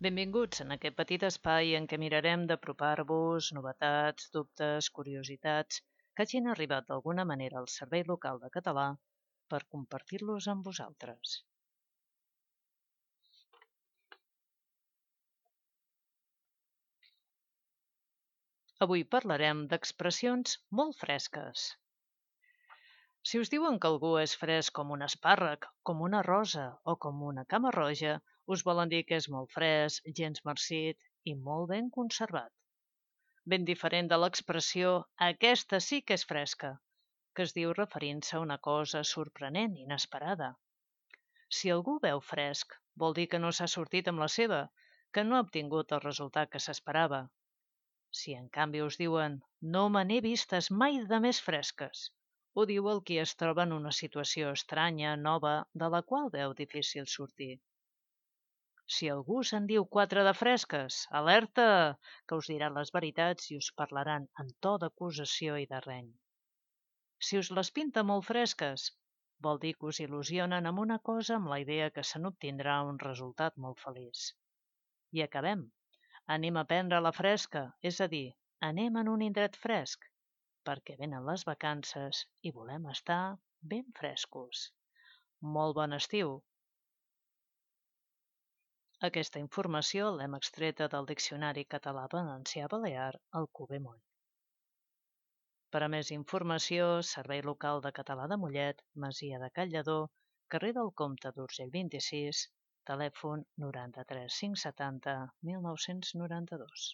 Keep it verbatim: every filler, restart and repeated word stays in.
Benvinguts en aquest petit espai en què mirarem d'apropar-vos novetats, dubtes, curiositats que hagin arribat d'alguna manera al Servei Local de Català per compartir-los amb vosaltres. Avui parlarem d'expressions molt fresques. Si us diuen que algú és fresc com un espàrrec, com una rosa o com una cama roja, us volen dir que és molt fresc, gens marcit i molt ben conservat. Ben diferent de l'expressió «aquesta sí que és fresca», que es diu referint-se a una cosa sorprenent, inesperada. Si algú veu fresc, vol dir que no s'ha sortit amb la seva, que no ha obtingut el resultat que s'esperava. Si en canvi us diuen «no me n'he vistes mai de més fresques», ho diu el qui es troba en una situació estranya, nova, de la qual veu difícil sortir. Si algú se'n diu quatre de fresques, alerta, que us diran les veritats i us parlaran en to d'acusació i de reny. Si us les pinta molt fresques, vol dir que us il·lusionen amb una cosa amb la idea que se n'obtindrà un resultat molt feliç. I acabem. Anem a prendre la fresca, és a dir, anem en un indret fresc, perquè venen les vacances i volem estar ben frescos. Molt bon estiu! Aquesta informació l'hem extreta del Diccionari Català-Valencià-Balear Alcover Moll. Per a més informació, Servei Local de Català de Mollet, Masia de Can Lledó, carrer del Comte d'Urgell vint-i-sis, telèfon noranta-tres cinc setanta mil nou-cents noranta-dos.